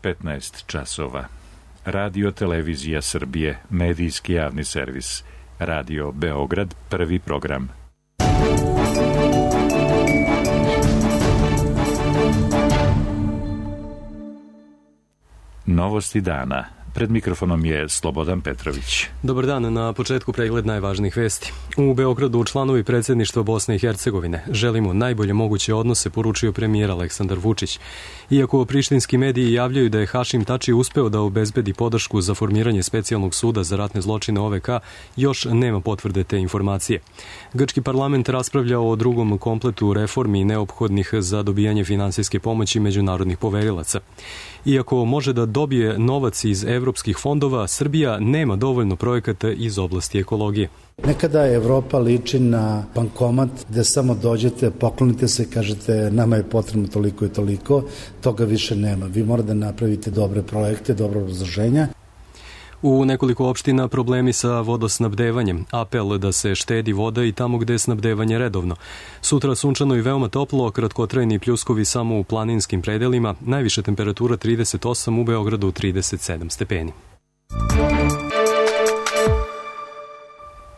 15 časova. Radio Televizija Srbije, medijski javni servis. Radio Beograd, prvi program. Novosti dana. Pred mikrofonom je Slobodan Petrović. Dobar dan, na početku pregled najvažnijih vesti. U Beogradu članovi predsjedništva Bosne i Hercegovine želimo najbolje moguće odnose, poručio premijer Aleksandar Vučić. Iako prištinski mediji javljaju da je Hašim Tači uspeo da obezbedi podršku za formiranje specijalnog suda za ratne zločine OVK, još nema potvrde te informacije. Grčki parlament raspravlja o drugom kompletu reformi neophodnih za dobijanje finansijske pomoći međunarodnih poverilaca. Iako može da dobije novac iz evropskih fondova, Srbija nema dovoljno projekata iz oblasti ekologije. Nekada Evropa liči na bankomat gde samo dođete, poklonite se, kažete nama je potrebno toliko i toliko, toga više nema. Vi morate da napravite dobre projekte, dobro obrazloženja. U nekoliko opština problemi sa vodosnabdevanjem, apel da se štedi voda i tamo gde je snabdevanje redovno. Sutra sunčano i veoma toplo, kratkotrajni pljuskovi samo u planinskim predelima, najviša temperatura 38, u Beogradu 37 stepeni.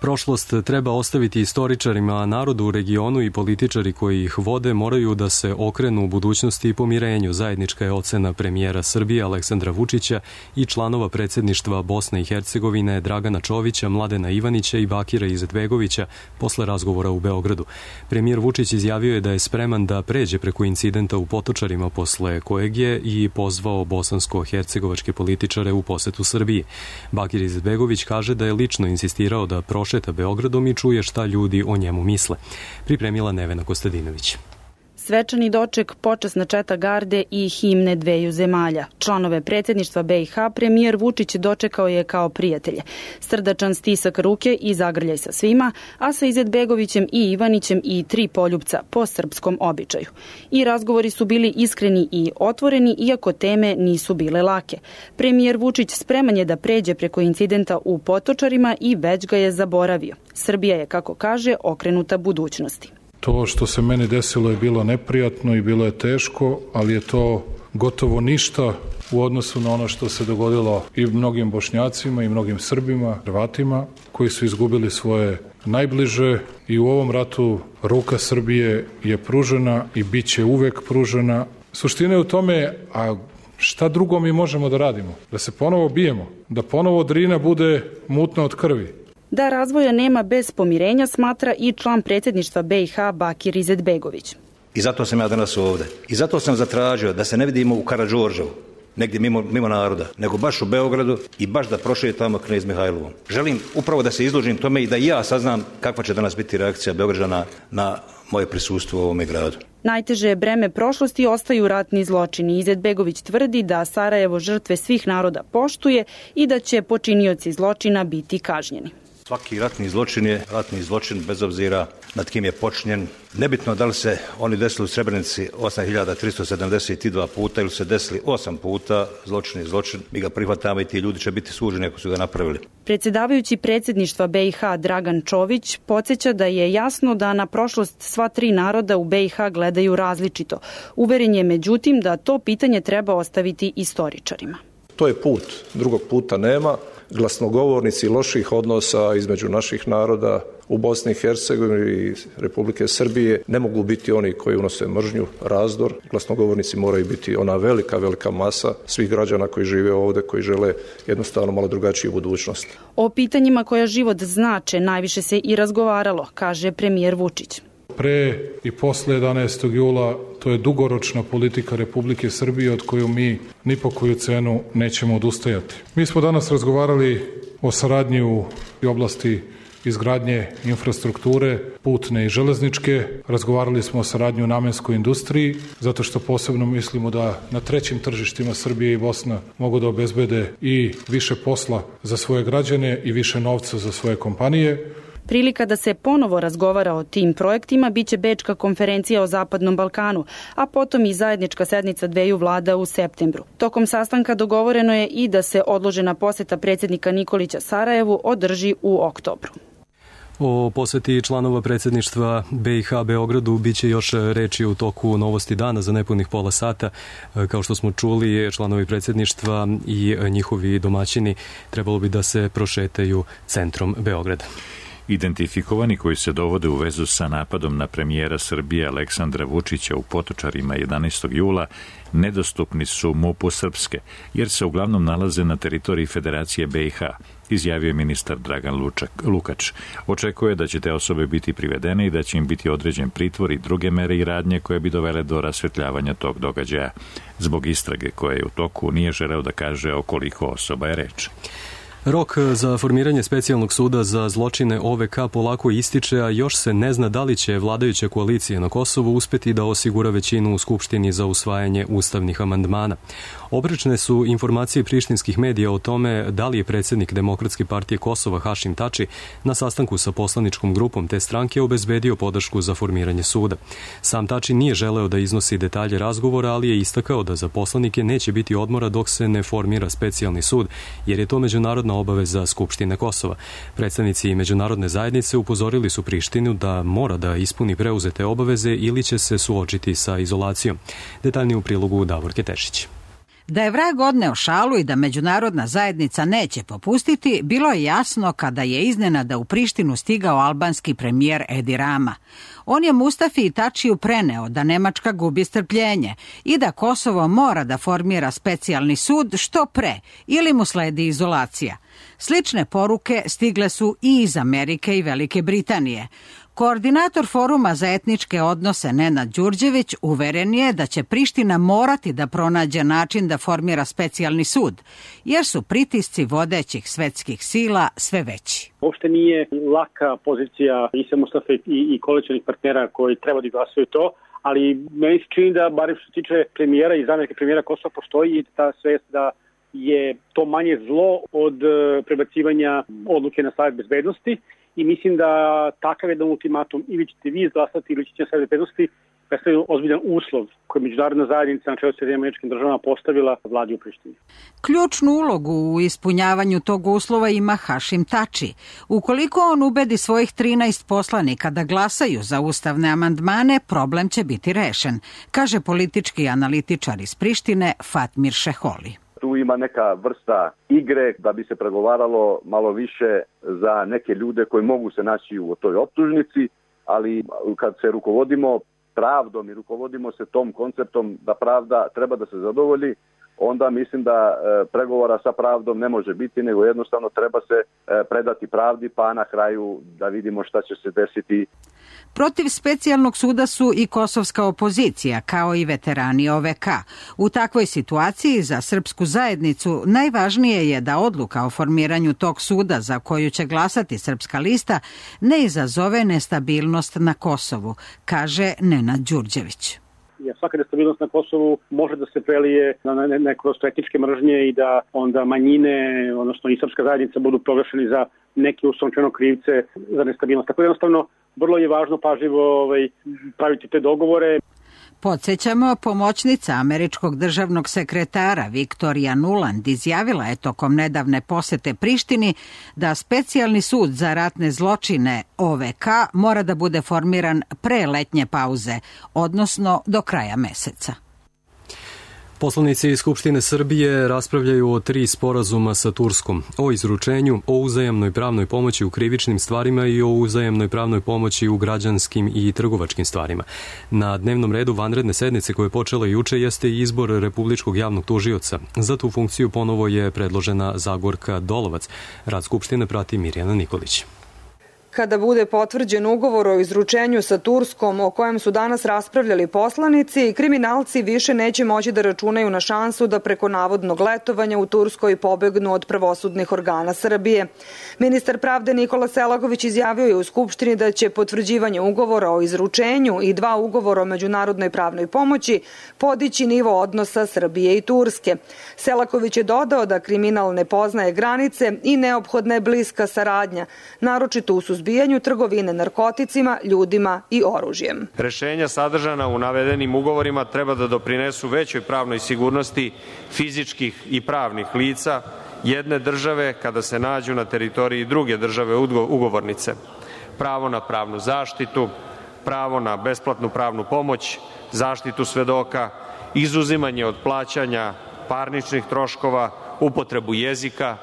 Prošlost treba ostaviti istoričarima, a narodu u regionu i političari koji ih vode moraju da se okrenu u budućnosti i pomirenju. Zajednička je ocena premijera Srbije Aleksandra Vučića i članova predsjedništva Bosne i Hercegovine Dragana Čovića, Mladena Ivanića i Bakira Izetbegovića posle razgovora u Beogradu. Premijer Vučić izjavio je da je spreman da pređe preko incidenta u Potočarima posle kojeg je i pozvao bosansko-hercegovačke političare u posetu Srbiji. Bakir Izetbegović kaže da je lično insistirao da prošeta Beogradom i čuje šta ljudi o njemu misle. Pripremila Nevena Kostadinović. Svečani doček, počasna četa garde i himne dveju zemalja. Članove predsjedništva BiH premijer Vučić dočekao je kao prijatelje. Srdačan stisak ruke i zagrljaj sa svima, a sa Izetbegovićem i Ivanićem i 3 poljupca po srpskom običaju. I razgovori su bili iskreni i otvoreni, iako teme nisu bile lake. Premijer Vučić spreman je da pređe preko incidenta u Potočarima i već ga je zaboravio. Srbija je, kako kaže, okrenuta budućnosti. To što se meni desilo je bilo neprijatno i bilo je teško, ali je to gotovo ništa u odnosu na ono što se dogodilo i mnogim Bošnjacima i mnogim Srbima, Hrvatima, koji su izgubili svoje najbliže i u ovom ratu ruka Srbije je pružena i bit će uvek pružena. Suština je u tome, a šta drugo mi možemo da radimo? Da se ponovo bijemo, da ponovo Drina bude mutna od krvi. Da razvoja nema bez pomirenja, smatra i član predsjedništva BiH Bakir Izetbegović. I zato sam ja danas ovde. I zato sam zatražio da se ne vidimo u Karađorđevu, negdje mimo naroda, nego baš u Beogradu i baš da prošetamo Knez Mihajlovom. Želim upravo da se izložim tome i da i ja saznam kakva će danas biti reakcija Beograđana na moje prisustvo u ovome gradu. Najteže breme prošlosti ostaju ratni zločini. Izetbegović tvrdi da Sarajevo žrtve svih naroda poštuje i da će počinioci zločina biti kažnjeni. Svaki ratni zločin je ratni zločin bez obzira nad kim je počinjen. Nebitno da li se oni desili u Srebrenici 8372 puta ili se desili 8 puta, zločin je zločin. Mi ga prihvatamo i ti ljudi će biti suđeni ako su ga napravili. Predsjedavajući predsjedništva BiH Dragan Čović podsjeća da je jasno da na prošlost sva 3 naroda u BiH gledaju različito. Uveren je međutim da to pitanje treba ostaviti istoričarima. To je put, drugog puta nema. Glasnogovornici loših odnosa između naših naroda u Bosni i Hercegovini i Republike Srbije ne mogu biti oni koji unose mržnju, razdor. Glasnogovornici moraju biti ona velika masa svih građana koji žive ovde, koji žele jednostavno malo drugačiju budućnost. O pitanjima koja život znače najviše se i razgovaralo, kaže premijer Vučić. Pre i posle 11. jula to je dugoročna politika Republike Srbije od koju mi ni po koju cenu nećemo odustajati. Mi smo danas razgovarali o saradnji u oblasti izgradnje infrastrukture, putne i železničke. Razgovarali smo o saradnji u namenskoj industriji, zato što posebno mislimo da na trećim tržištima Srbije i Bosna mogu da obezbede i više posla za svoje građane i više novca za svoje kompanije. Prilika da se ponovo razgovara o tim projektima biće Bečka konferencija o Zapadnom Balkanu, a potom i zajednička sednica dveju vlada u septembru. Tokom sastanka dogovoreno je i da se odložena poseta predsjednika Nikolića Sarajevu održi u oktobru. O poseti članova predsjedništva BiH Beogradu biće još reči u toku Novosti dana za nepunih pola sata. Kao što smo čuli, članovi predsjedništva i njihovi domaćini trebalo bi da se prošetaju centrom Beograda. Identifikovani koji se dovode u vezu sa napadom na premijera Srbije Aleksandra Vučića u Potočarima 11. jula nedostupni su MUP-u Srpske, jer se uglavnom nalaze na teritoriji Federacije BiH, izjavio je ministar Dragan Lukač. Očekuje da će te osobe biti privedene i da će im biti određen pritvor i druge mere i radnje koje bi dovele do rasvetljavanja tog događaja. Zbog istrage koje je u toku nije želeo da kaže o koliko osoba je reč. Rok za formiranje specijalnog suda za zločine OVK polako ističe, a još se ne zna da li će vladajuća koalicija na Kosovu uspeti da osigura većinu u Skupštini za usvajanje ustavnih amandmana. Oprečne su informacije prištinskih medija o tome da li je predsjednik Demokratske partije Kosova Hašim Tači na sastanku sa poslaničkom grupom te stranke obezbedio podršku za formiranje suda. Sam Tači nije želeo da iznosi detalje razgovora, ali je istakao da za poslanike neće biti odmora dok se ne formira specijalni sud, jer je to međunarodna obaveza Skupštine Kosova. Predstavnici međunarodne zajednice upozorili su Prištinu da mora da ispuni preuzete obaveze ili će se suočiti sa izolacijom. Detaljnije u prilogu Davorke Tešić. Da je vrag odneo šalu i da međunarodna zajednica neće popustiti, bilo je jasno kada je iznenada u Prištinu stigao albanski premijer Edi Rama. On je Mustafi Tačiju preneo da Nemačka gubi strpljenje i da Kosovo mora da formira specijalni sud što pre ili mu sledi izolacija. Slične poruke stigle su i iz Amerike i Velike Britanije. Koordinator Foruma za etničke odnose Nenad Đurđević uveren je da će Priština morati da pronađe način da formira specijalni sud, jer su pritisci vodećih svetskih sila sve veći. Uopšte nije laka pozicija Isa Mustafe i koalicionih partnera koji treba da glasaju to, ali meni se čini da, barem što se tiče premijera i zamjenika premijera Kosova, postoji i ta svest da je to manje zlo od prebacivanja odluke na Savet bezbednosti. I mislim da takav jedan ultimatum ili ćete vi izglasati ili ćete na Savet bezbednosti predstavlja ozbiljan uslov koji je međunarodna zajednica na čelu sa SAD postavila vladi u Prištini. Ključnu ulogu u ispunjavanju tog uslova ima Hašim Tači. Ukoliko on ubedi svojih 13 poslanika da glasaju za ustavne amandmane, problem će biti rešen, kaže politički analitičar iz Prištine Fatmir Šeholi. Tu ima neka vrsta igre da bi se pregovaralo malo više za neke ljude koji mogu se naći u toj optužnici, ali kad se rukovodimo pravdom i rukovodimo se tom konceptom da pravda treba da se zadovolji, onda mislim da pregovora sa pravdom ne može biti, nego jednostavno treba se predati pravdi, pa na kraju da vidimo šta će se desiti. Protiv specijalnog suda su i kosovska opozicija, kao i veterani OVK. U takvoj situaciji za srpsku zajednicu najvažnije je da odluka o formiranju tog suda za koju će glasati Srpska lista ne izazove nestabilnost na Kosovu, kaže Nenad Đurđević. Svaka nestabilnost na Kosovu može da se prelije na neko etničke mržnje i da onda manjine, odnosno i srpska zajednica budu proglašeni za neke uslovno krivce za nestabilnost. Tako jednostavno, vrlo je važno pažljivo praviti te dogovore. Podsjećamo, pomoćnica američkog državnog sekretara Viktorija Nuland izjavila je tokom nedavne posete Prištini da specijalni sud za ratne zločine OVK mora da bude formiran pre letnje pauze, odnosno do kraja meseca. Poslanici iz Skupštine Srbije raspravljaju o 3 sporazuma sa Turskom, o izručenju, o uzajamnoj pravnoj pomoći u krivičnim stvarima i o uzajamnoj pravnoj pomoći u građanskim i trgovačkim stvarima. Na dnevnom redu vanredne sednice koje je počela juče jeste i izbor Republičkog javnog tužioca. Za tu funkciju ponovo je predložena Zagorka Dolovac. Rad Skupštine prati Mirjana Nikolić. Kada bude potvrđen ugovor o izručenju sa Turskom o kojem su danas raspravljali poslanici, kriminalci više neće moći da računaju na šansu da preko navodnog letovanja u Turskoj pobegnu od pravosudnih organa Srbije. Ministar pravde Nikola Selaković izjavio je u Skupštini da će potvrđivanje ugovora o izručenju i 2 ugovora o međunarodnoj pravnoj pomoći podići nivo odnosa Srbije i Turske. Selaković je dodao da kriminal ne poznaje granice i neophodna je bliska saradnja, naročito u suzbijanju trgovine narkoticima, ljudima i oružjem. Rešenja sadržana u navedenim ugovorima treba da doprinesu većoj pravnoj sigurnosti fizičkih i pravnih lica jedne države kada se nađu na teritoriji druge države ugovornice. pravo na pravnu zaštitu, pravo na besplatnu pravnu pomoć, zaštitu svedoka, izuzimanje od plaćanja parničnih troškova, upotrebu jezika,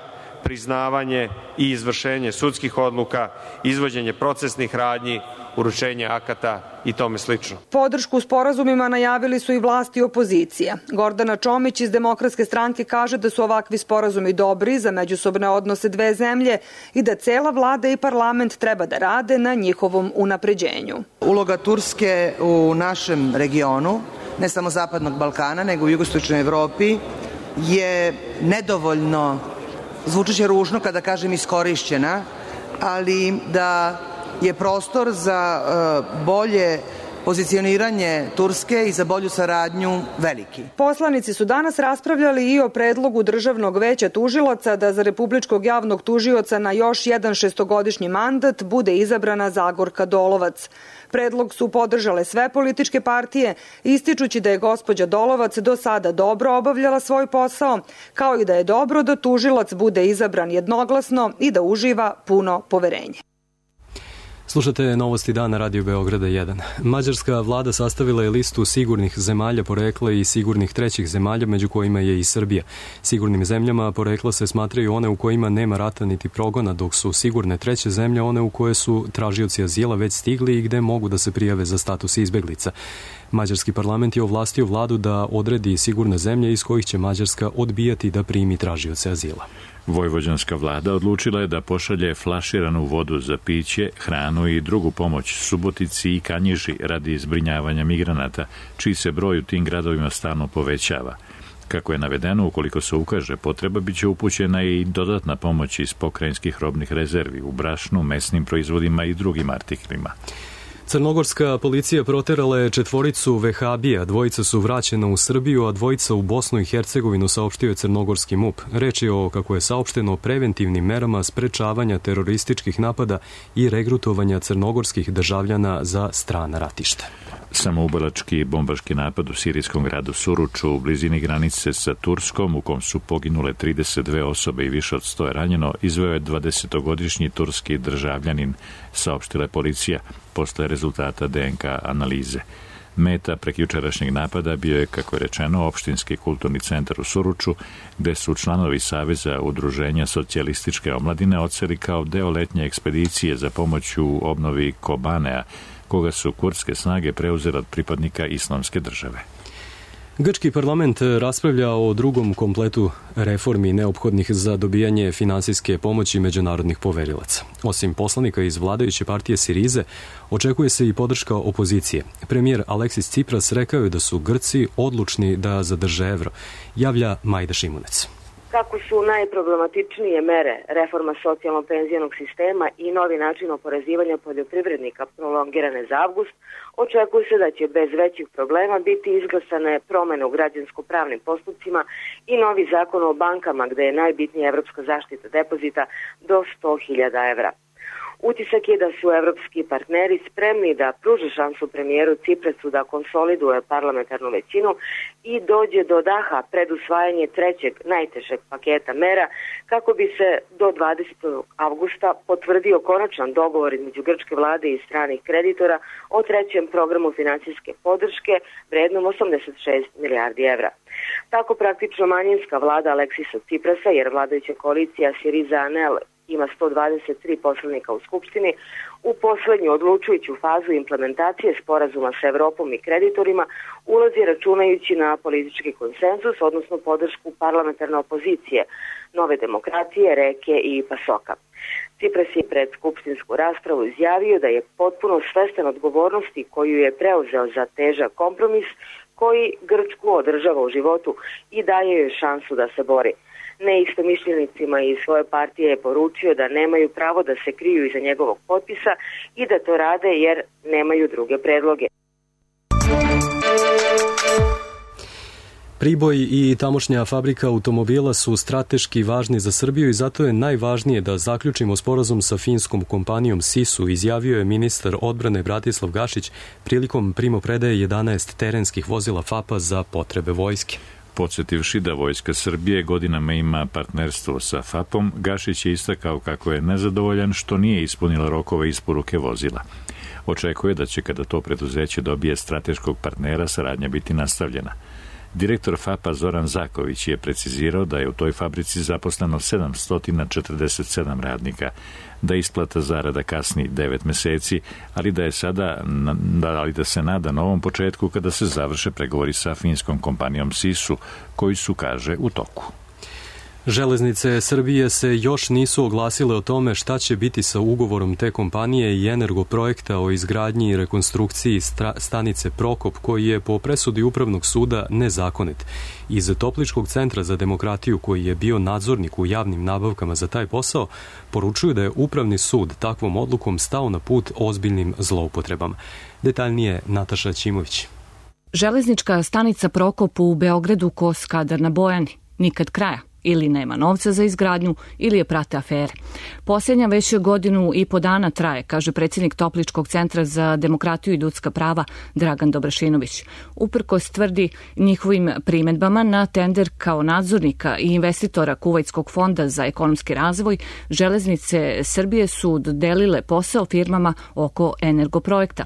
priznavanje i izvršenje sudskih odluka, izvođenje procesnih radnji, uručenje akata i tome slično. Podršku sporazumima najavili su i vlasti i opozicija. Gordana Čomić iz Demokratske stranke kaže da su ovakvi sporazumi dobri za međusobne odnose dve zemlje i da cela vlada i parlament treba da rade na njihovom unapređenju. Uloga Turske u našem regionu, ne samo Zapadnog Balkana, nego u jugoistočnoj Evropi, je nedovoljno, zvučiće ružno kada kažem iskorišćena, ali da je prostor za bolje pozicioniranje Turske i za bolju saradnju veliki. Poslanici su danas raspravljali i o predlogu Državnog veća tužilaca da za Republičkog javnog tužioca na još jedan šestogodišnji mandat bude izabrana Zagorka Dolovac. Predlog su podržale sve političke partije, ističući da je gospođa Dolovac do sada dobro obavljala svoj posao, kao i da je dobro da tužilac bude izabran jednoglasno i da uživa puno poverenje. Slušate Novosti dana Radio Beograda 1. Mađarska vlada sastavila je listu sigurnih zemalja porekla i sigurnih trećih zemalja, među kojima je i Srbija. Sigurnim zemljama porekla se smatraju one u kojima nema rata niti progona, dok su sigurne treće zemlje one u koje su tražioci azila već stigli i gde mogu da se prijave za status izbeglica. Mađarski parlament je ovlastio vladu da odredi sigurne zemlje iz kojih će Mađarska odbijati da primi tražioce azila. Vojvođanska vlada odlučila je da pošalje flaširanu vodu za piće, hranu i drugu pomoć Subotici i Kanjiži radi zbrinjavanja migranata, čiji se broj u tim gradovima stalno povećava. Kako je navedeno, ukoliko se ukaže potreba, biće upućena i dodatna pomoć iz pokrajinskih robnih rezervi u brašnu, mesnim proizvodima i drugim artiklima. Crnogorska policija proterala je 4 vehabija, 2 su vraćena u Srbiju, a 2 u Bosnu i Hercegovinu, saopštio je crnogorski MUP. Reč je o, kako je saopšteno, preventivnim merama sprečavanja terorističkih napada i regrutovanja crnogorskih državljana za strana ratišta. Samoubalački bombaški napad u sirijskom gradu Suruču u blizini granice sa Turskom, u kom su poginule 32 osobe i više od 100 ranjeno, izveo je 20-godišnji turski državljanin, saopštila je policija posle rezultata DNK analize. Meta prekjučerašnjeg napada bio je, kako je rečeno, opštinski kulturni centar u Suruču, gde su članovi Saveza udruženja socijalističke omladine odseli kao deo letnje ekspedicije za pomoć u obnovi Kobanea, koga su kurdske snage preuzele od pripadnika Islamske države. Grčki parlament raspravlja o drugom kompletu reformi neophodnih za dobijanje finansijske pomoći međunarodnih poverilaca. Osim poslanika iz vladajuće partije Sirize, očekuje se i podrška opozicije. Premijer Aleksis Tsipras rekao je da su Grci odlučni da zadrže evro, javlja Majda Šimunec. Kako su najproblematičnije mere reforma socijalno-penzionog sistema i novi način oporezivanja poljoprivrednika prolongirane za avgust, očekuje se da će bez većih problema biti izglasane promene u građansko-pravnim postupcima i novi zakon o bankama, gde je najbitnija evropska zaštita depozita do 100.000 evra. Utisak je da su evropski partneri spremni da pruže šansu premijeru Ciprasu da konsoliduje parlamentarnu većinu i dođe do daha pred usvajanje trećeg najtežeg paketa mera kako bi se do 20. avgusta potvrdio konačan dogovor između grčke vlade i stranih kreditora o trećem programu finansijske podrške vrednom 86 milijardi evra. Tako praktično manjinska vlada Aleksisa Ciprasa, jer vladajuća koalicija Syriza-Anel ima 123 poslanika u Skupštini, u poslednju odlučujuću fazu implementacije sporazuma sa Evropom i kreditorima ulazi računajući na politički konsenzus, odnosno podršku parlamentarne opozicije, Nove demokratije, Reke i Pasoka. Cipras je pred skupštinsku raspravu izjavio da je potpuno svestan odgovornosti koju je preuzeo za težak kompromis koji Grčku održava u životu i daje joj šansu da se bori. Neistomišljenicima iz svoje partije je poručio da nemaju pravo da se kriju iza njegovog potpisa i da to rade jer nemaju druge predloge. Priboj i tamošnja fabrika automobila su strateški važni za Srbiju i zato je najvažnije da zaključimo sporazum sa finskom kompanijom SISU, izjavio je ministar odbrane Bratislav Gašić prilikom primopredaje 11 terenskih vozila FAP-a za potrebe vojske. Podsjetivši da Vojska Srbije godinama ima partnerstvo sa FAP-om, Gašić je istakao kako je nezadovoljan što nije ispunila rokove isporuke vozila. Očekuje da će kada to preduzeće dobije strateškog partnera saradnja biti nastavljena. Direktor FAP-a Zoran Zaković je precizirao da je u toj fabrici zaposleno 747 radnika, da isplata zarada kasni 9 meseci, ali da se nada novom početku kada se završe pregovori sa finskom kompanijom SISU, koji su, kaže, u toku. Železnice Srbije se još nisu oglasile o tome šta će biti sa ugovorom te kompanije i Energoprojekta o izgradnji i rekonstrukciji stanice Prokop, koji je po presudi Upravnog suda nezakonit. Iz Topličkog centra za demokratiju, koji je bio nadzornik u javnim nabavkama za taj posao, poručuju da je Upravni sud takvom odlukom stao na put ozbiljnim zloupotrebama. Detaljnije Nataša Ćimović. Železnička stanica Prokop u Beogradu ko Skadar na Bojani. Nikad kraja. Ili nema novca za izgradnju, ili je prate afere. Posljednja već godinu i po dana traje, kaže predsjednik Topličkog centra za demokratiju i ljudska prava Dragan Dobrašinović. Uprkos tvrdi njihovim primedbama na tender kao nadzornika i investitora Kuvajtskog fonda za ekonomski razvoj, Železnice Srbije su dodelile posao firmama oko Energoprojekta.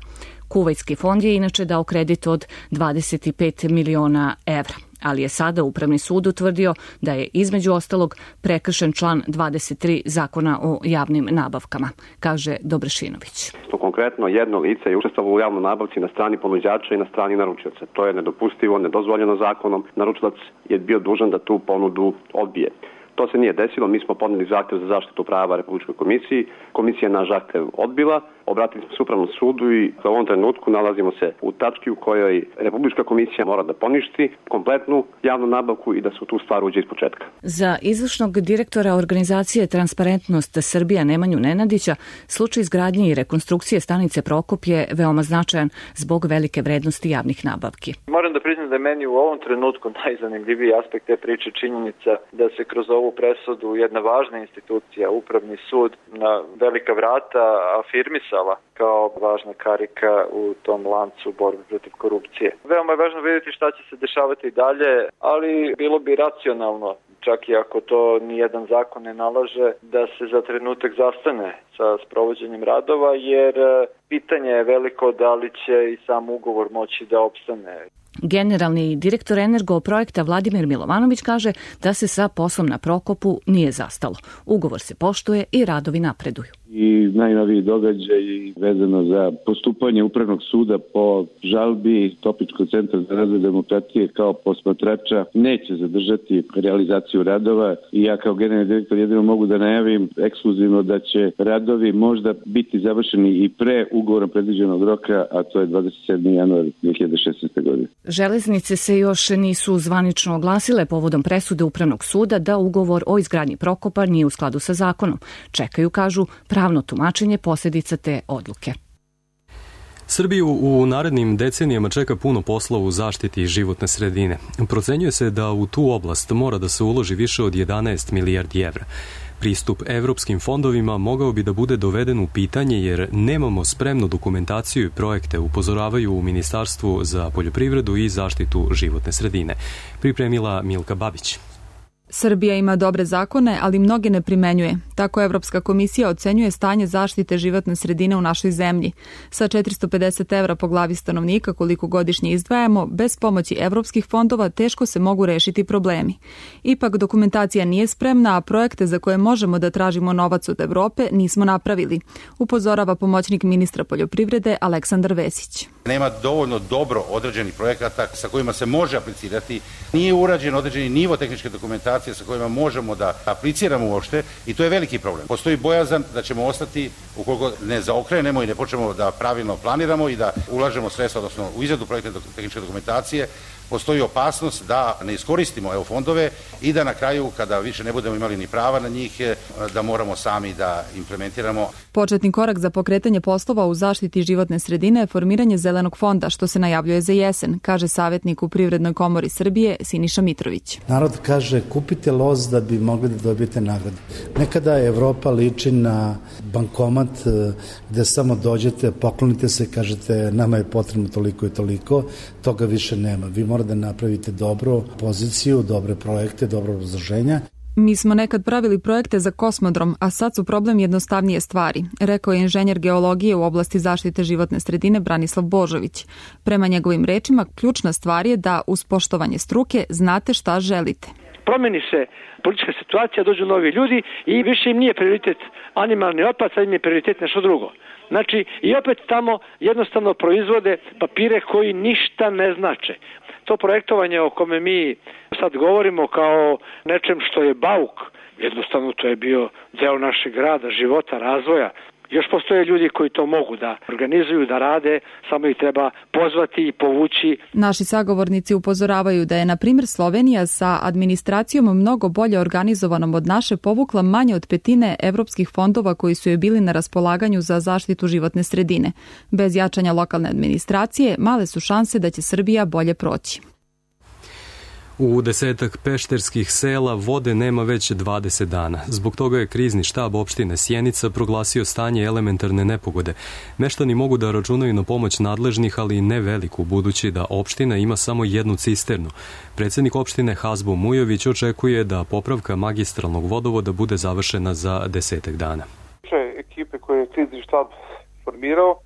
Kuvajtski fond je inače dao kredit od 25 miliona evra, ali je sada Upravni sud utvrdio da je između ostalog prekršen član 23 Zakona o javnim nabavkama, kaže Dobrašinović. Konkretno, jedno lice je učestvovalo u javnoj nabavci na strani ponuđača i na strani naručioca. To je nedopustivo, nedozvoljeno zakonom. Naručilac je bio dužan da tu ponudu odbije. To se nije desilo, mi smo podneli zahtev za zaštitu prava Republičkoj komisiji. Komisija naš zahtev odbila, obratili smo se Upravnom sudu i u ovom trenutku nalazimo se u tački u kojoj Republička komisija mora da poništi kompletnu javnu nabavku i da se u tu stvar uđe iz početka. Za izvršnog direktora organizacije Transparentnost Srbija Nemanju Nenadića, slučaj izgradnje i rekonstrukcije stanice Prokop je veoma značajan zbog velike vrednosti javnih nabavki. Moram da priznam da je meni u ovom trenutku najzanimljiviji aspekt te priče činjenica da se kroz ovu presudu jedna važna institucija, Upravni sud, na velika vrata afirmisala kao važna karika u tom lancu borbe protiv korupcije. Veoma je važno vidjeti šta će se dešavati dalje, ali bilo bi racionalno, čak i ako to nijedan zakon ne nalaže, da se za trenutak zastane sa sprovođenjem radova, jer pitanje je veliko da li će i sam ugovor moći da opstane. Generalni direktor Energoprojekta Vladimir Milovanović kaže da se sa poslom na Prokopu nije zastalo. Ugovor se poštuje i radovi napreduju. I najnoviji događaj vezano za postupanje Upravnog suda po žalbi Topličkog centra za razvoj demokratije kao posmatrača neće zadržati realizaciju radova i ja kao generalni direktor jedino mogu da najavim ekskluzivno da će radovi možda biti završeni i pre ugovorom predviđenog roka, a to je 27. januar 2016. godine. Železnice se još nisu zvanično oglasile povodom presude Upravnog suda da ugovor o izgradnji Prokopa nije u skladu sa zakonom. Čekaju, kažu, pravno tumačenje posljedica te odluke. Srbiju u narednim decenijama čeka puno posla u zaštiti životne sredine. Procenjuje se da u tu oblast mora da se uloži više od 11 milijardi evra. Pristup evropskim fondovima mogao bi da bude doveden u pitanje jer nemamo spremnu dokumentaciju i projekte, upozoravaju u Ministarstvu za poljoprivredu i zaštitu životne sredine. Pripremila Milka Babić. Srbija ima dobre zakone, ali mnoge ne primenjuje. Tako Evropska komisija ocenjuje stanje zaštite životne sredine u našoj zemlji. Sa 450 evra po glavi stanovnika koliko godišnje izdvajamo, bez pomoći evropskih fondova teško se mogu rešiti problemi. Ipak dokumentacija nije spremna, a projekte za koje možemo da tražimo novac od Evrope nismo napravili, upozorava pomoćnik ministra poljoprivrede Aleksandar Vesić. Nema dovoljno dobro određenih projekata sa kojima se može aplicirati. Nije urađen određeni nivo tehničke dokumentacije sa kojima možemo da apliciramo uopšte i to je veliki problem. Postoji bojazan da ćemo ostati, ukoliko ne zaokrenemo i ne počnemo da pravilno planiramo i da ulažemo sredstva, odnosno u izradu projektne tehničke dokumentacije, postoji opasnost da ne iskoristimo EU fondove i da na kraju, kada više ne budemo imali ni prava na njih, da moramo sami da implementiramo. Početni korak za pokretanje poslova u zaštiti životne sredine je formiranje zelene Zelenog fonda, što se najavljuje za jesen, kaže savjetnik u Privrednoj komori Srbije Siniša Mitrović. Narod kaže kupite loz da bi mogli da dobijete nagrade. Nekada Evropa liči na bankomat gde samo dođete, poklonite se, kažete nama je potrebno toliko i toliko, toga više nema. Vi morate da napravite dobru poziciju, dobre projekte, dobro obrazloženja. Mi smo nekad pravili projekte za kosmodrom, a sad su problem jednostavnije stvari, rekao je inženjer geologije u oblasti zaštite životne sredine Branislav Božović. Prema njegovim rečima, ključna stvar je da uz poštovanje struke znate šta želite. Promeni se politička situacija, dođu novi ljudi i više im nije prioritet animalni otpad, sad im je prioritet nešto drugo. Znači, i opet tamo jednostavno proizvode papire koji ništa ne znače. To projektovanje o kome mi sad govorimo kao nečem što je bauk, jednostavno to je bio deo našeg rada, života, razvoja. Još postoje ljudi koji to mogu da organizuju, da rade, samo ih treba pozvati i povući. Naši sagovornici upozoravaju da je, na primjer, Slovenija sa administracijom mnogo bolje organizovanom od naše povukla manje od petine evropskih fondova koji su joj bili na raspolaganju za zaštitu životne sredine. Bez jačanja lokalne administracije, male su šanse da će Srbija bolje proći. U 10 pešterskih sela vode nema već 20 dana. Zbog toga je krizni štab opštine Sjenica proglasio stanje elementarne nepogode. Meštani mogu da računaju na pomoć nadležnih, ali ne veliku, budući da opština ima samo jednu cisternu. Predsjednik opštine Hazbo Mujović očekuje da popravka magistralnog vodovoda bude završena za 10 dana. Ekipe koje je krizni štab formirao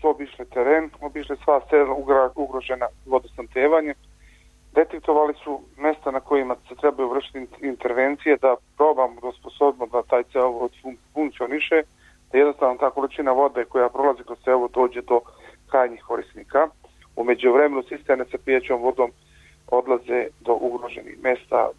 su obišle teren, obišle sva sela ugrožena vodosnabdevanjem. Detektovali su mesta na kojima se trebaju vršiti intervencije da probamo da osposobimo da taj cevovod funkcioniše, da jednostavno ta količina vode koja prolazi kroz cevovod dođe do krajnjih korisnika. U međuvremenu cisterne sa pijećom vodom odlaze do ugroženih mesta.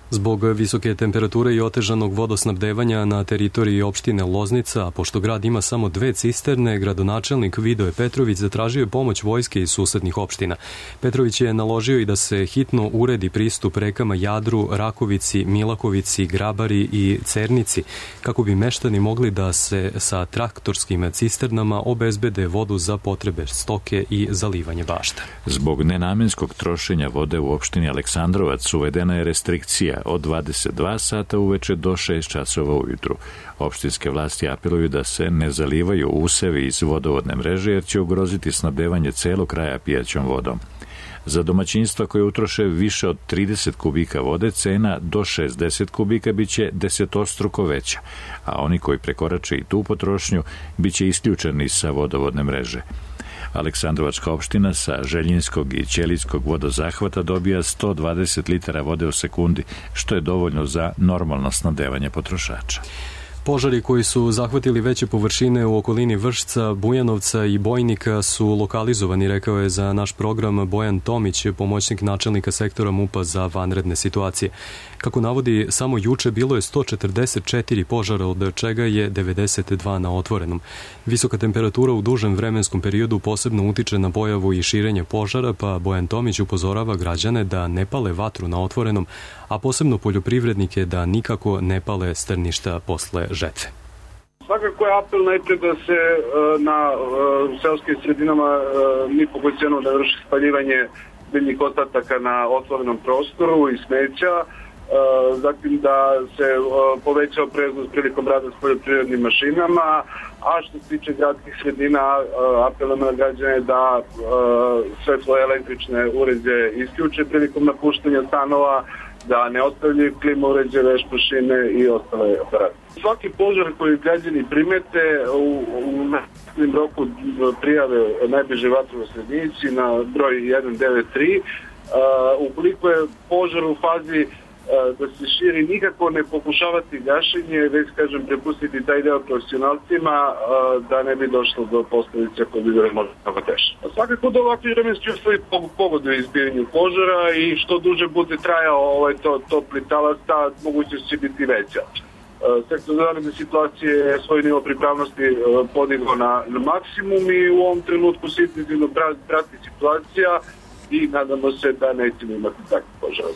Zbog visoke temperature i otežanog vodosnabdevanja na teritoriji opštine Loznica, a pošto grad ima samo 2 cisterne, gradonačelnik Vidoje Petrović zatražio je pomoć vojske iz susednih opština. Petrović je naložio i da se hitno uredi pristup rekama Jadru, Rakovici, Milakovici, Grabari i Cernici, kako bi meštani mogli da se sa traktorskim cisternama obezbede vodu za potrebe stoke i zalivanje bašta. Zbog nenamenskog trošenja vode u opštini Aleksandrovac uvedena je restrikcija od 22 sata uveče do 6 časova ujutru. Opštinske vlasti apeluju da se ne zalivaju usevi iz vodovodne mreže jer će ugroziti snabdevanje celog kraja pijaćom vodom. Za domaćinstva koje utroše više od 30 kubika vode, cena do 60 kubika biće desetostruko veća, a oni koji prekorače i tu potrošnju biće isključeni sa vodovodne mreže. Aleksandrovačka opština sa Željinskog i Ćelijskog vodozahvata dobija 120 litara vode u sekundi, što je dovoljno za normalno snabdevanje potrošača. Požari koji su zahvatili veće površine u okolini Vršca, Bujanovca i Bojnika su lokalizovani, rekao je za naš program Bojan Tomić, pomoćnik načelnika sektora MUP-a za vanredne situacije. Kako navodi, samo juče bilo je 144 požara, od čega je 92 na otvorenom. Visoka temperatura u dužem vremenskom periodu posebno utiče na pojavu i širenje požara, pa Bojan Tomić upozorava građane da ne pale vatru na otvorenom, a posebno poljoprivrednike da nikako ne pale strništa posle žetve. Svakako je apel najprej da se na seoskim sredinama ni po koju cenu ne vrši spaljivanje biljnih ostataka na otvorenom prostoru i smeća, zatim da se poveća opreznost prilikom rada s poljoprivrednim mašinama, a što se tiče gradskih sredina, apelujemo na građane da svetlo električne uređaje isključe prilikom napuštanja stanova, da ne ostavljaju klima uređaje, veš mašine i ostale aparate. Svaki požar koji građani primete u narednom roku prijave najbliže vatrogasnoj jedinici na broj 193. Ukoliko je požar u fazi da se širi, nikako ne pokušavati gašenje, već kažem prepustiti taj deo profesionalcima da ne bi došlo do posledica koje bi bile možda tako teške. Svakako da ovakvi vremenski uslovi pogoduju izbiranju požara i što duže bude trajao topli talas, ta mogućnost će biti veća. Sektor za vanredne situacije je svoj nivo pripravnosti podigao na maksimum i u ovom trenutku se intenzivno prati situacija i nadamo se da nećemo imati takve požara.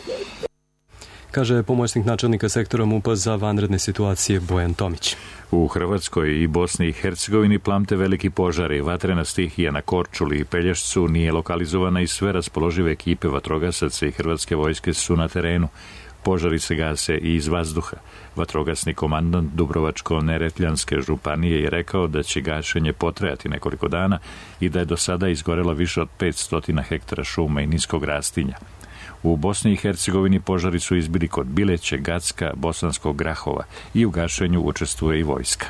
kaže pomoćnik načelnika sektora MUP-a za vanredne situacije Bojan Tomić. U Hrvatskoj i Bosni i Hercegovini plamte veliki požari. Vatrena stihija na Korčuli i Pelješcu nije lokalizovana i sve raspoložive ekipe vatrogasaca i hrvatske vojske su na terenu. Požari se gase i iz vazduha. Vatrogasni komandant Dubrovačko-Neretljanske županije je rekao da će gašenje potrajati nekoliko dana i da je do sada izgorelo više od 500 hektara šuma i niskog rastinja. U Bosni i Hercegovini požari su izbili kod Bileće, Gacka, Bosanskog Grahova i u gašenju učestvuje i vojska.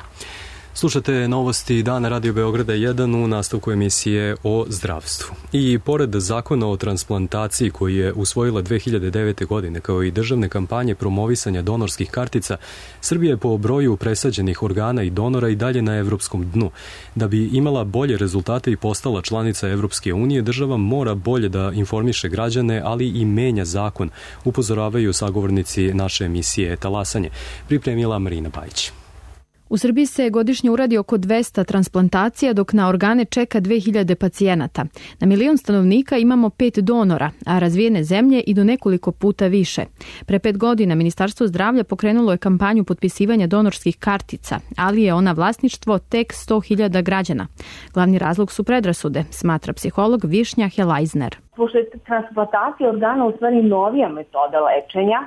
Slušate novosti Dana Radio Beograda 1 u nastavku emisije o zdravstvu. I pored zakona o transplantaciji koji je usvojila 2009. godine kao i državne kampanje promovisanja donorskih kartica, Srbija je po broju presađenih organa i donora i dalje na evropskom dnu. Da bi imala bolje rezultate i postala članica Evropske unije, država mora bolje da informiše građane, ali i menja zakon, upozoravaju sagovornici naše emisije Talasanje. Pripremila Marina Bajić. U Srbiji se godišnje uradi oko 200 transplantacija, dok na organe čeka 2000 pacijenata. Na 1.000.000 stanovnika imamo 5 donora, a razvijene zemlje i do nekoliko puta više. Pre 5 godina Ministarstvo zdravlja pokrenulo je kampanju potpisivanja donorskih kartica, ali je ona vlasništvo tek 100.000 građana. Glavni razlog su predrasude, smatra psiholog Višnja Helajzner. Pošto je transplantacija organa u stvari novija metoda lečenja,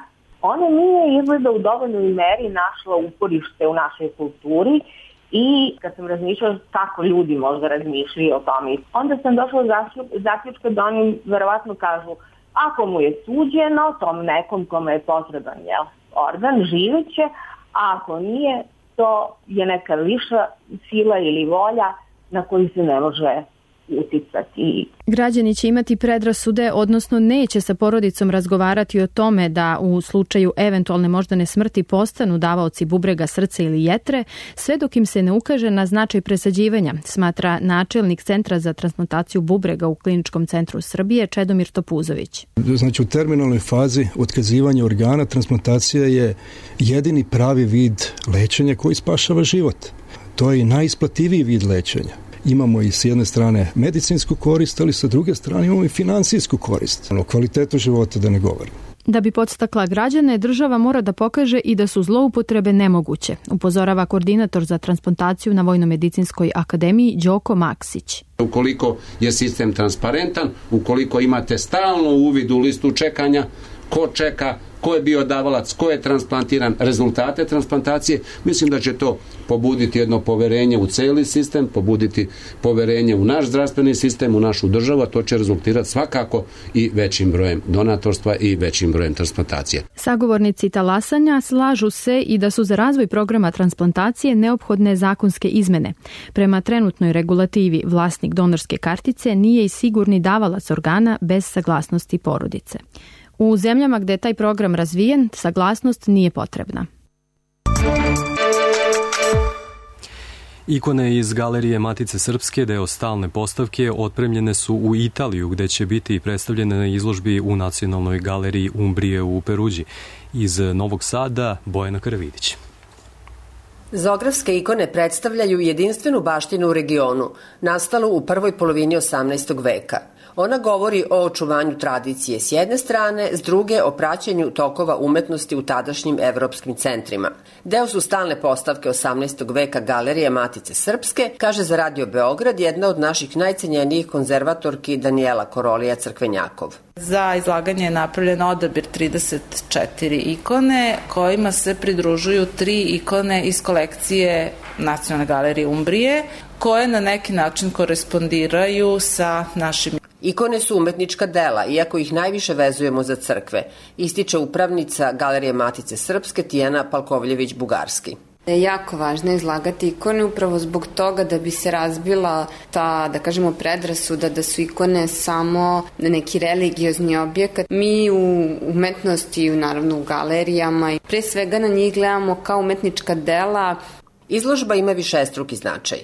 ona nije izgleda u dovoljnoj meri našla uporište u našoj kulturi i kad sam razmišljala kako ljudi možda razmišljaju o tome, onda sam došla do zaključka da oni verovatno kažu ako mu je suđeno, tom nekom kome je potreban organ, živeće, a ako nije, to je neka viša sila ili volja na koju se ne može uticati. Građani će imati predrasude, odnosno neće sa porodicom razgovarati o tome da u slučaju eventualne moždane smrti postanu davaoci bubrega, srca ili jetre, sve dok im se ne ukaže na značaj presađivanja, smatra načelnik Centra za transplantaciju bubrega u Kliničkom centru Srbije Čedomir Topuzović. Znači u terminalnoj fazi otkazivanja organa transplantacija je jedini pravi vid lečenja koji spašava život. To je i najisplativiji vid lečenja. Imamo i s jedne strane medicinsku korist, ali sa druge strane imamo i finansijsku korist. O kvalitetu života da ne govorim. Da bi podstakla građane, država mora da pokaže i da su zloupotrebe nemoguće, upozorava koordinator za transplantaciju na Vojno-medicinskoj akademiji Đoko Maksić. Ukoliko je sistem transparentan, ukoliko imate stalno uvid u listu čekanja, ko čeka, ko je bio davalac, ko je transplantiran, rezultate transplantacije, mislim da će to pobuditi jedno poverenje u celi sistem, pobuditi poverenje u naš zdravstveni sistem, u našu državu, a to će rezultirati svakako i većim brojem donatorstva i većim brojem transplantacije. Sagovornici talasanja slažu se i da su za razvoj programa transplantacije neophodne zakonske izmene. Prema trenutnoj regulativi, vlasnik donorske kartice nije i sigurni davalac organa bez saglasnosti porodice. U zemljama gde je taj program razvijen, saglasnost nije potrebna. Ikone iz Galerije Matice Srpske, deo stalne postavke, otpremljene su u Italiju, gde će biti predstavljene na izložbi u Nacionalnoj galeriji Umbrije u Peruđi. Iz Novog Sada, Bojana Karavidić. Zografske ikone predstavljaju jedinstvenu baštinu u regionu, nastalu u prvoj polovini 18. veka. Ona govori o očuvanju tradicije s jedne strane, s druge o praćenju tokova umetnosti u tadašnjim evropskim centrima. Deo su stalne postavke 18. veka Galerije Matice Srpske, kaže za Radio Beograd jedna od naših najcenjenijih konzervatorki Danijela Korolija Crkvenjakov. Za izlaganje je napravljen odabir 34 ikone, kojima se pridružuju 3 ikone iz kolekcije Nacionalne galerije Umbrije, koje na neki način korespondiraju sa našim. Ikone su umetnička dela, iako ih najviše vezujemo za crkve, ističe upravnica Galerije Matice Srpske Tijana Palkovljević-Bugarski. Jako važno je izlagati ikone upravo zbog toga da bi se razbila ta, da kažemo, predrasuda da su ikone samo neki religiozni objekat. Mi u umetnosti, naravno u galerijama, pre svega na njih gledamo kao umetnička dela. Izložba ima višestruki značaj.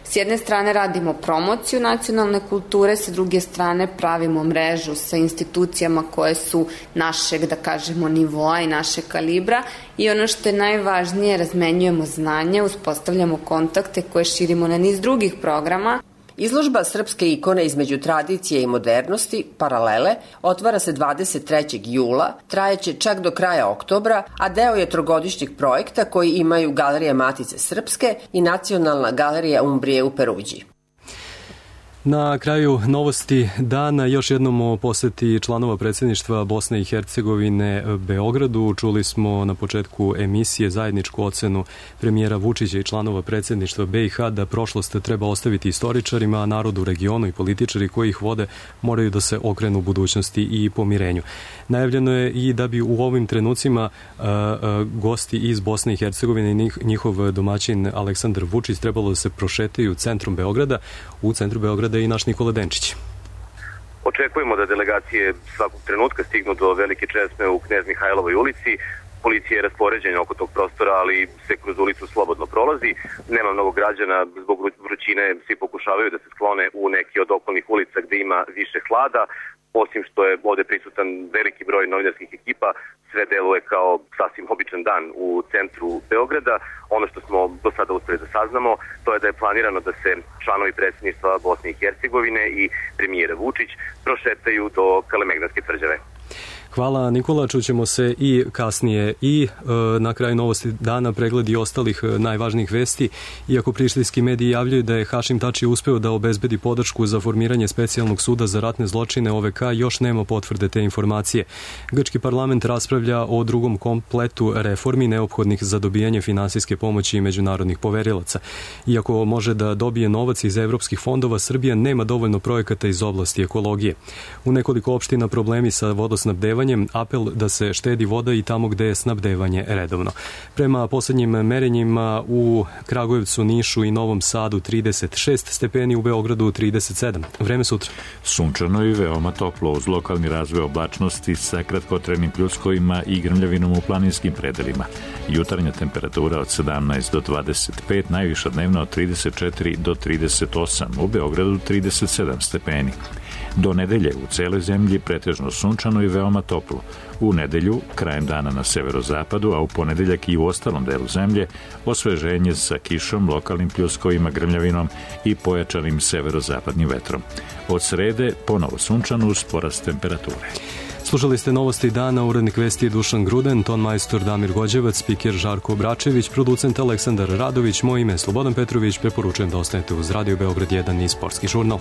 S jedne strane radimo promociju nacionalne kulture, sa druge strane pravimo mrežu sa institucijama koje su našeg, da kažemo, nivoa i našeg kalibra i ono što je najvažnije, razmenjujemo znanje, uspostavljamo kontakte koje širimo na niz drugih programa. Izložba srpske ikone između tradicije i modernosti, Paralele, otvara se 23. jula, trajeće čak do kraja oktobra, a deo je trogodišnjeg projekta koji imaju Galerija Matice Srpske i Nacionalna galerija Umbrije u Peruđi. Na kraju novosti dana još jednom o poseti članova predsjedništva Bosne i Hercegovine Beogradu. Čuli smo na početku emisije zajedničku ocenu premijera Vučića i članova predsjedništva BiH da prošlost treba ostaviti istoričarima, a narod u regionu i političari koji ih vode moraju da se okrenu budućnosti i pomirenju. Najavljeno je i da bi u ovim trenucima gosti iz Bosne i Hercegovine i njihov domaćin Aleksandar Vučić trebalo da se prošetaju centrom Beograda. U centru Beograda i naš Nikola Denčić. Očekujemo da delegacije svakog trenutka stignu do Velike česme u Knez Mihajlovoj ulici. Policija je raspoređena oko tog prostora, ali se kroz ulicu slobodno prolazi. Nema mnogo građana, zbog vrućine svi pokušavaju da se sklone u neki od okolnih ulica gde ima više hlada. Osim što je ovde prisutan veliki broj novinarskih ekipa, sve deluje kao sasvim običan dan u centru Beograda. Ono što smo do sada uspeli da saznamo, to je da je planirano da se članovi predsjedništva Bosne i Hercegovine i premijer Vučić prošetaju do Kalemegdanske tvrđave. Hvala Nikola, čućemo se i kasnije i na kraju novosti dana pregledi ostalih najvažnijih vesti. Iako prištinski mediji javljaju da je Hašim Tači uspeo da obezbedi podršku za formiranje specijalnog suda za ratne zločine OVK, još nema potvrde te informacije. Grčki parlament raspravlja o drugom kompletu reformi neophodnih za dobijanje finansijske pomoći i međunarodnih poverilaca. Iako može da dobije novac iz evropskih fondova, Srbija nema dovoljno projekata iz oblasti ekologije. U nekoliko opština problemi sa vodosnabdevanjem, apel da se štedi voda i tamo gde je snabdevanje redovno. Prema poslednjim merenjima u Kragujevcu, Nišu i Novom Sadu 36 stepeni, u Beogradu 37. Vreme sutra. Sunčano i veoma toplo uz lokalni razvoj oblačnosti sa kratkotrenim pljuskovima i grmljavinom u planinskim predelima. Jutarnja temperatura od 17 do 25, najviša dnevna od 34 do 38, u Beogradu 37 stepeni. Do nedelje u celoj zemlji pretežno sunčano i veoma toplo. U nedelju, krajem dana na severozapadu, a u ponedeljak i u ostalom delu zemlje, osveženje sa kišom, lokalnim pljuskovima, grmljavinom i pojačanim severozapadnim vetrom. Od srede ponovo sunčano uz porast temperature. Slušali ste novosti dana, urednik vesti Dušan Gruden, ton majstor Damir Gođevac, spiker Žarko Obračević, producent Aleksandar Radović, moje ime je Slobodan Petrović, preporučujem da ostanete uz Radio Beograd 1 i Sportski žurnal.